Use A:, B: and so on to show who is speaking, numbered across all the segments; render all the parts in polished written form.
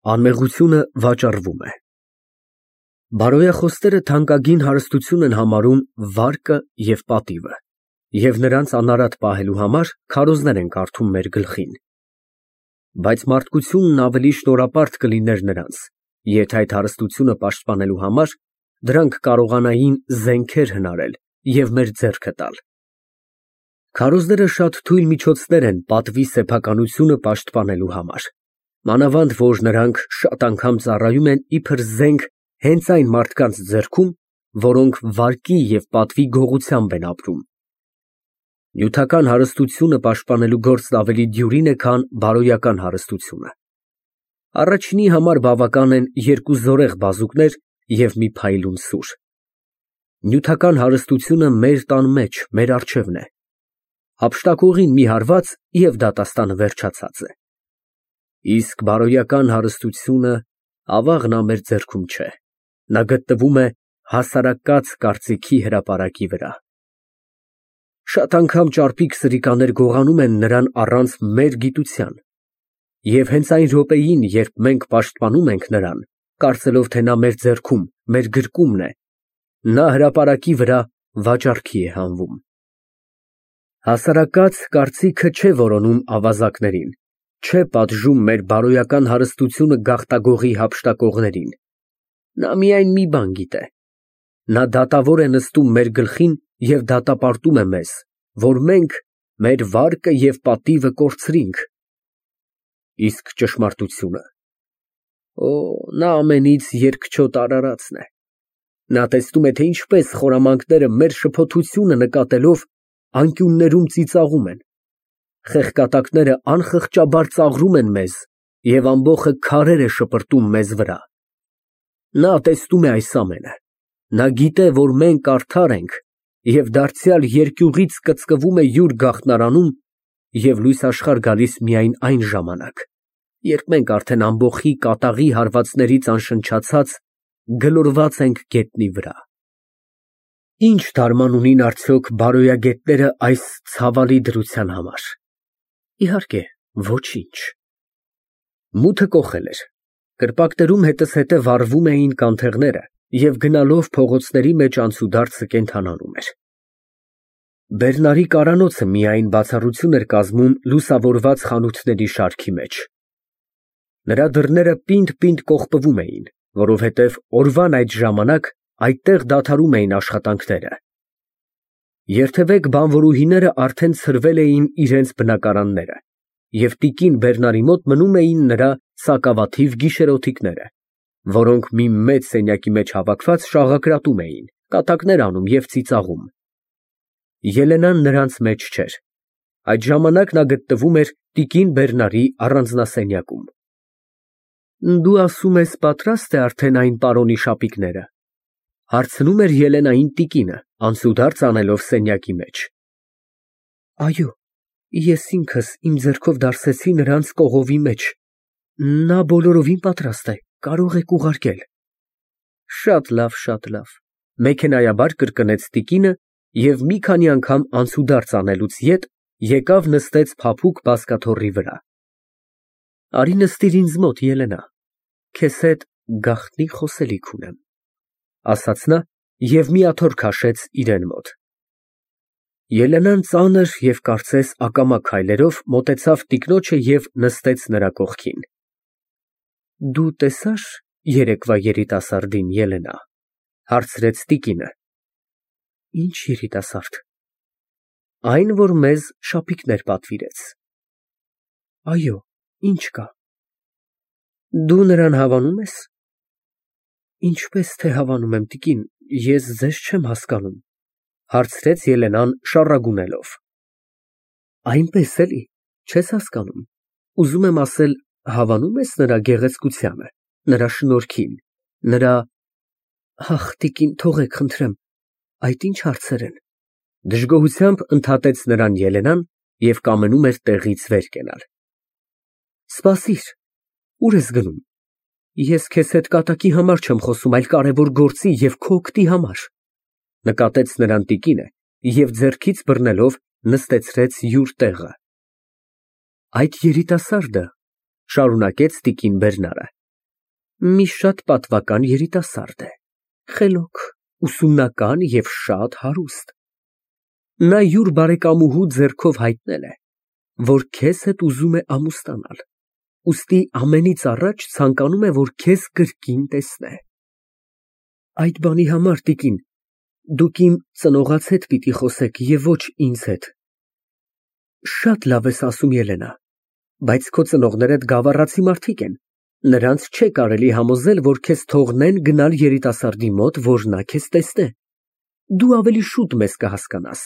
A: Անմեղությունը վաճառվում է։ Բարոյախոստները թանկագին հարստություն են համարում վարկը և պատիվը, և նրանց անարատ պահելու համար քարոզներ են կարդում մեր գլխին։ Բայց մարդկությունն ավելի շնորհապարտ կլիներ նրանց, եթե այդ հարստությունը պաշտպանելու համար դրանք կարողանային զենքեր հնարել և մեր ձեռքը տալ։ Քարոզները շատ թույլ միջոցներ են պատվի սեփականությունը պաշտպանելու համար, մանավանդ որ նրանք շատ անգամ ծառայում են իբր զենք հենց այն մարդկանց ձեռքում, որոնք վարկի և պատվի գողությամբ են ապրում։ Նյութական հարստությունը պաշտպանելու գործն ավելի դյուրին է, քան բարոյական հարստությունը։ Առաջինի համար բավական են երկու զորեղ բազուկներ և մի փայլուն սուր։ Նյութական հարստությունը մեր տան մեջ, մեր առջևն է։ Հափշտակողին մի հարված, և դատաստանը վերջացած է։ Իսկ բարոյական հարստությունը ավաղն մեր ձեռքում չէ, նա գտնվում է հասարակած կարծիքի հրապարակի վրա։ Շատ անգամ ճարպիկ սրիկաներ գողանում են նրան առանց մեր գիտության, և հենց այն րոպեին, երբ մենք պաշտպանում ենք նրան, կարծելով, թե նա մեր ձեռքում, մեր գրկումն է, նա հրապարակի վրա վաճառքի է հանվում։ Հասարակած կարծիքը չէ որոնում ավազակներին, չէ պատժում մեր բարոյական հարստությունը գաղտագողի հափշտակողներին։ Նա միայն մի բան գիտե. նա դատավոր է նստում մեր գլխին և դատապարտում է մեզ, որ մենք մեր վարկը և պատիվը կորցրինք։ Իսկ ճշմարտությունը… Օ, նա ամենից երկչոտ արարածն է։ Նա տեսնում է, թե ինչպես խորամանկները մեր շփոթությունը նկատելով անկյուններում ծիծաղում են, խեղկատակները անխղճաբար ծաղրում են մեզ և ամբոխը քարեր է շպրտում մեզ վրա։ Նա տեսնում է այս ամենը, նա գիտե, որ մենք արդար ենք և դարձյալ երկյուղից կծկվում է յուր գաղտնարանում և լույս աշխարհ գալիս միայն այն ժամանակ, երբ մենք արդեն ամբոխի կատաղի հարվածներից անշնչացած գլորված ենք գետնի վրա։ Ի՞նչ թարման ունին արդյոք բարոյագետները այս ցավալի դրության համար։ Իհարկե, ոչինչ։ Մութը կոխել էր, կրպակներում հետզհետե վառվում էին կանթեղները, և գնալով փողոցների մեջ անցուդարձը կենդանանում էր։ Բերնարի կարանոցը միայն բացառություն էր լուսավորված խանութների շարքի մեջ։ Նրա դռները պինդ կողպվում էին, որովհետև օրվան այդ ժամանակ այդտեղ դադարում էին աշխատանքները։ Երթևեկ բանվորուհիները արդեն ցրվել էին իրենց բնակարանները, և տիկին Բերնարի մոտ մնում էին նրա սակավաթիվ գիշերօթիկները, որոնք մի մեծ սենյակի մեջ հավաքված շաղակրատում էին, կատակներ անում և ծիծաղում։ Ելենան նրանց մեջ չէր։ Այդ ժամանակ նա գտնվում էր տիկին Բերնարի առանձնասենյակում։ Դու ասում ես պատրաստ է արդեն այն պարոնի շապիկները, հարցնում էր Ելենային տիկինը, անցուդարձ անելով սենյակի մեջ։ Այո, ես ինքս իմ ձեռքով դարսեցի նրանց կողովի մեջ, նա բոլորովին պատրաստ է, կարող եք ուղարկել։ Շատ լավ, շատ լավ, մեքենայաբար կրկնեց տիկինը և մի քանի անգամ անցուդարձ անելուց ետ եկավ նստեց փափուկ բազկաթոռի վրա։ Արի նստիր ինձ մոտ, Ելենա, քեզ հետ գաղտնի խոսելիք ունեմ, ասաց նա և մի աթոռ քաշեց իրան մոտ։ Ելենան ծանր և կարծես ակամա քայլերով մոտեցավ տիկնոջը և նստեց նրա կողքին։ Դու տեսա՞ր երեկվա երիտասարդին, Ելենա, հարցրեց տիկինը։ Ինչ երիտասարդ։ Այն, որ մեզ շապիկներ պատվիրեց։ Այո, ինչ կա։ Դու նրան հավանո՞ւմ ես։ Ինչպես թե հավանում եմ, տիկին, ես ձեզ չեմ հասկանում, հարցրեց Ելենան շառագունելով։ Այնպես էլի, չես հասկանում, ուզում եմ ասել, հավանո՞ւմ ես նրա գեղեցկությանը, նրա շնորհքին, նրա… Ախ, տիկին, թողեք, խնդրեմ, այդ ինչ հարցեր են։ Դժգոհությամբ ընդհատեց նրան Ելենան և կամենում էր տեղից վեր կենալ։ Սպասիր, ուր ես գնում։ Ես քեզ հետ կատակի համար չեմ խոսում, այլ կարևոր գործի և քո օգտի համար, նկատեց նրան տիկինը և ձեռքից բռնելով նստեցրեց յուր տեղը։ Այդ երիտասարդը, շարունակեց տիկին Բերնարը, Մի շատ պատվական երիտասարդ է, խելոք, ուսումնական և շատ հարուստ։ Նա յուր բարեկամուհու ձեռքով հայտնել է, որ քեզ հետ ուզում է ամուսնանալ, ուստի ամենից առաջ ցանկանում է, որ քեզ կրկին տեսնե։ Այդ բանի համար, տիկին, դուք իմ ծնողաց հետ պիտի խոսեք և ոչ ինձ հետ։ Շատ լավ ես ասում, Ելենա, բայց քո ծնողներդ գավառացի մարդիկ են, նրանց չէ կարելի համոզել, որ քեզ թողնեն գնալ երիտասարդի մոտ, որ նա քեզ տեսնե։ Դու ավելի շուտ մեզ կհասկանաս։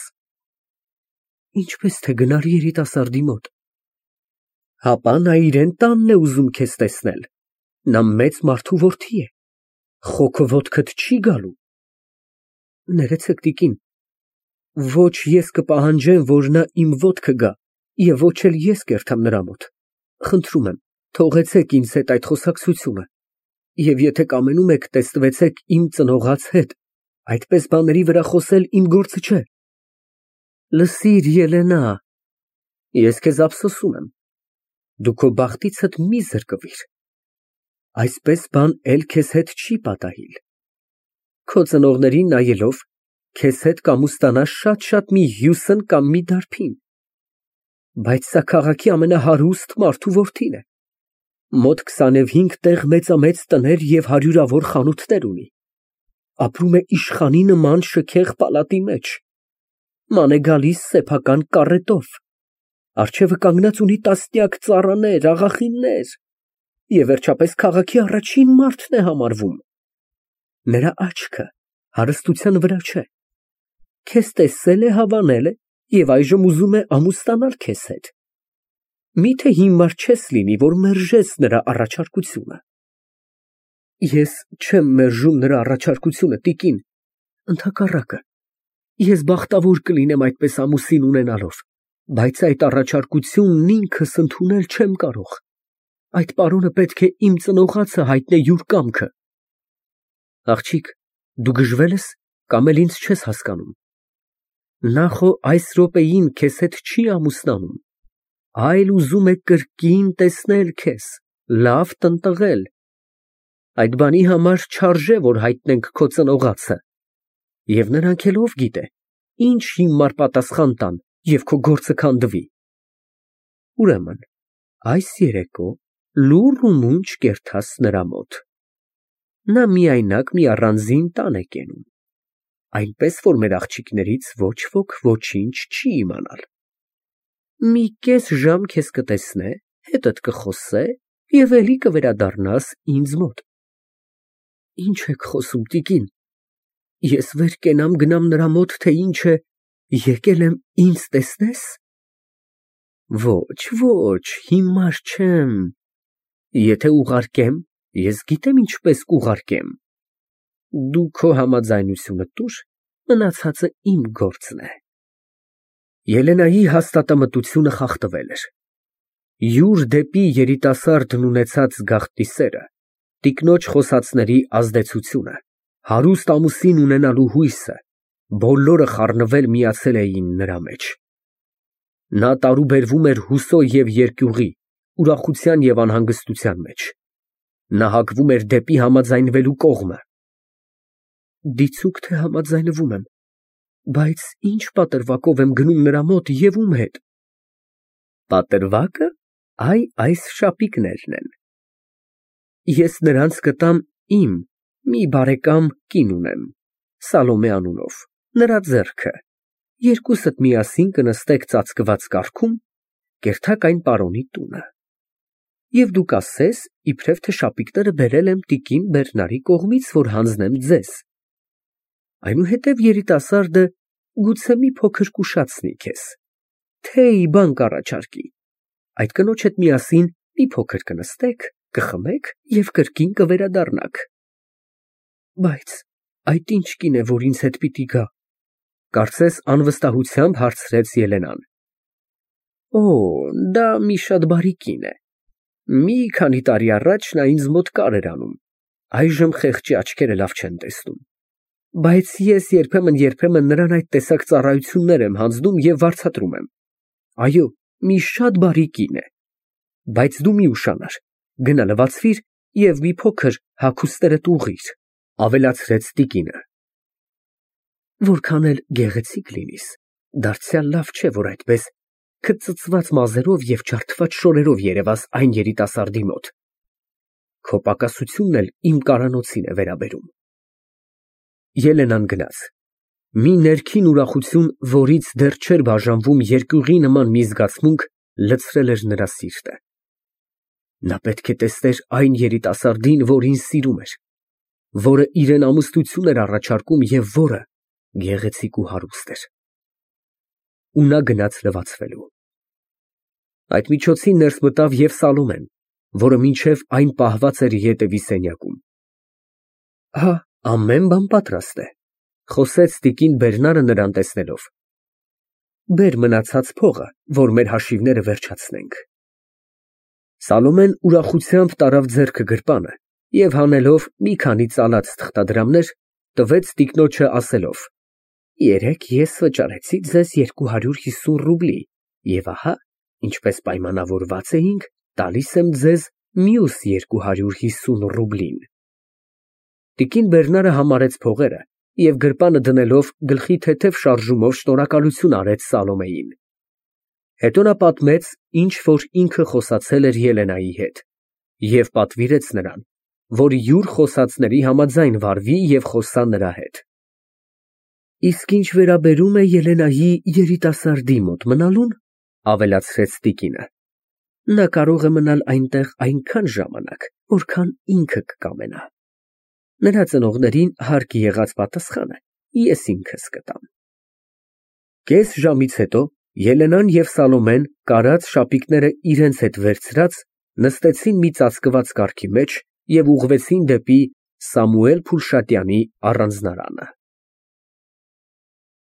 A: Ինչպես թե գնալ երիտասարդի մոտ։ Հապա նա իրեն տանն է ուզում քեզ տեսնել։ Նա մեծ մարդու որդի է։ Խոքը ոտքդ չի գալու։ Ներեցեք, տիկին, ոչ ես կպահանջեմ, որ նա իմ ոտքը գա, և ոչ էլ ես կերթամ նրա մոտ։ Խնդրում եմ, թողեցեք ինձ հետ այդ խոսակցությունը, և եթե կամենում եք, տեսնվեցեք իմ ծնողաց հետ, այդպես բաների վրա խոսել իմ գործը չէ։ Լսիր, Ելենա, ես քեզ ափսոսում եմ, դու քո բախտիցդ մի զրկվիր, այսպես բան էլ քեզ հետ չի պատահիլ։ Քո ծնողներին նայելով, քեզ հետ կամուստանաս շատ մի Հյուսն կամ մի Դարբին, բայց սա քաղաքի ամենահարուստ մարդու որդին է, մոտ 25 տեղ մեծամեծ տներ և հարյուրավոր խանութներ ունի, ապրում է իշխանի նման շքեղ պալատի մեջ, ման է գալիս սեփական կառետով, առջևը կանգնած ունի տասնյակ ծառաներ, աղախիններ, և վերջապես քաղաքի առաջին մարդն է համարվում։ Նրա աչքը հարստության վրա չէ, քեզ տեսել է, հավանել է և այժմ ուզում է ամուսնանալ քեզ հետ։ Միթե հիմար չես լինի, որ մերժես նրա առաջարկությունը։ Ես չեմ մերժում նրա առաջարկությունը, տիկին, ընդհակառակը, ես բախտավոր կլինեմ այդպես ամուսին ունենալով, բայց այդ առաջարկությունն ինքս ընդունել չեմ կարող։ Այդ պարոնը պետք է իմ ծնողացը հայտնե յուր կամքը։ Աղջիկ, դու գժվել ես կամ էլ ինձ չես հասկանում։ Նա խո այս րոպեին քեզ հետ չի ամուսնանում, այլ ուզում է կրկին տեսնել քեզ, լավ տնտղել։ Այդ բանի համար չարժե, որ հայտնենք քո ծնողացը, և նրանք էլ ով գիտե, ինչ հիմար պատասխան տան և քո գործը քանդվի։ Ուրեմն, այս երեկո լուռ ու մունջ կերթաս նրա մոտ։ Նա միայնակ մի առանձին տան է կենում, այնպես որ մեր աղջիկներից ոչ ոք ոչինչ չի իմանալ։ Մի կես ժամ քեզ կտեսնե, հետդ կխոսե և էլի կվերադառնաս ինձ մոտ։ Ինչ եք խոսում, տիկին, ես վեր կենամ գնամ նրա մոտ, թե ինչ է, եկել եմ ինձ տեսնես։ Ոչ, հիմար չեմ, եթե ուղարկեմ, ես գիտեմ ինչպես կուղարկեմ։ Դու քո համաձայնությունը տուր, մնացածը իմ գործն է։ Ելենայի հաստատամտությունը խախտվել էր։ Յուր դեպի երիտասարդն ունեցած գաղտնի սերը, տիկնոջ խոսածների ազդեցությունը, հարուստ ամուսին ունենալու հույսը, բոլորը խառնվել միացել էին նրա մեջ։ Նա տարուբերվում էր հուսո և երկյուղի, ուրախության և անհանգստության մեջ։ Նա հակվում էր դեպի համաձայնվելու կողմը։ Դիցուք թե համաձայնվում եմ, բայց ինչ պատրվակով եմ գնում նրա մոտ և ում հետ։ Պատրվակը այս շապիկներն են։ Ես նրանց կտամ իմ մի բարեկամ կին ունեմ, Սալոմե անունով, նրա ձեռքը, երկուսդ միասին կնստեք ծածկված կառքում, կերթակ այն պարոնի տունը։ Եվ դու կասես, իբրև թե շապիկները բերել եմ տիկին Բերնարի կողմից, որ հանձնեմ ձեզ։ Այնուհետև երիտասարդը գուցե մի փոքր կուշացնի քեզ, թեյ բան կառաջարկի, այդ կնոջ հետ միասին մի փոքր կնստեք, կխմեք և կրկին կվերադառնաք։ Բայց այդ ինչ կին է, որ ինձ հետ պիտի գա, կարծես անվստահությամբ հարցրեց Ելենան։ Դա մի շատ բարի կին է։ Մի քանի տարի առաջ նա ինձ մոտ կար էր անում, այժմ խեղճի աչքերը լավ չեն տեսնում, բայց ես երբեմն նրան այդ տեսակ ծառայություններ եմ հանձնում և վարձատրում եմ։ Այո, մի շատ բարի կին է, բայց դու մի ուշանար, գնա լվացվիր և մի փոքր հագուստներդ ուղղիր, ավելացրեց տիկինը։ Որքան էլ գեղեցիկ լինիս, դարձյալ լավ չէ, որ այդպես քդ ծծված մազերով և ջարդված շորերով երևաս այն երիտասարդի մոտ։ Քո պակասությունն էլ իմ կարանոցին է վերաբերում։ Ելենան գնաց։ Մի ներքին ուրախություն, որից դեռ չէր բաժանվում երկյուղի նման մի զգացմունք, լցրել էր նրա սիրտը։ Նա պետք է տեսներ այն երիտասարդին, որին սիրում էր, որը իրան ամուսնություն էր առաջարկում և որը գեղեցիկ ու հարուստ էր։ Ու նա գնաց լվացվելու։ Այդ միջոցին ներս մտավ և Սալոմեն, որը մինչև այն պահված էր ետևի սենյակում։ Հա, ամեն բան պատրաստ է, խոսեց տիկին Բերնարը նրան տեսնելով։ Բեր մնացած փողը, որ մեր հաշիվները վերջացնենք։ Սալոմեն ուրախությամբ տարավ ձեռքը գրպանը և հանելով մի քանի ծալած թղթադրամներ, տվեց տիկնոջը ասելով. Երեկ ես վճարեցի ձեզ 250 ռուբլի և ահա, ինչպես պայմանավորված էինք, տալիս եմ ձեզ մյուս 250 ռուբլին։ Տիկին Բերնարը համարեց փողերը և գրպանը դնելով գլխի թեթև շարժումով շնորհակալություն արեց Սալոմեին։ Հետո նա պատմեց, ինչ որ ինքը խոսացել էր Ելենայի հետ, և պատվիրեց նրան, որ յուր խոսածների համաձայն վարվի և խոսա նրա հետ։ Իսկ ինչ վերաբերում է Ելենայի երիտասարդի մոտ մնալուն, ավելացրեց տիկինը, նա կարող է մնալ այնտեղ այնքան ժամանակ, որքան ինքը կկամենա։ Նրա ծնողներին հարկ եղած պատասխանը ես ինքս կտամ։ Կես ժամից հետո Ելենան և Սալոմեն, կարած շապիկները իրենց հետ վերցրած, նստեցին մի ծածկված կառքի մեջ և ուղղվեցին դեպի Սամուել Փուլշատյանի առանձնարանը։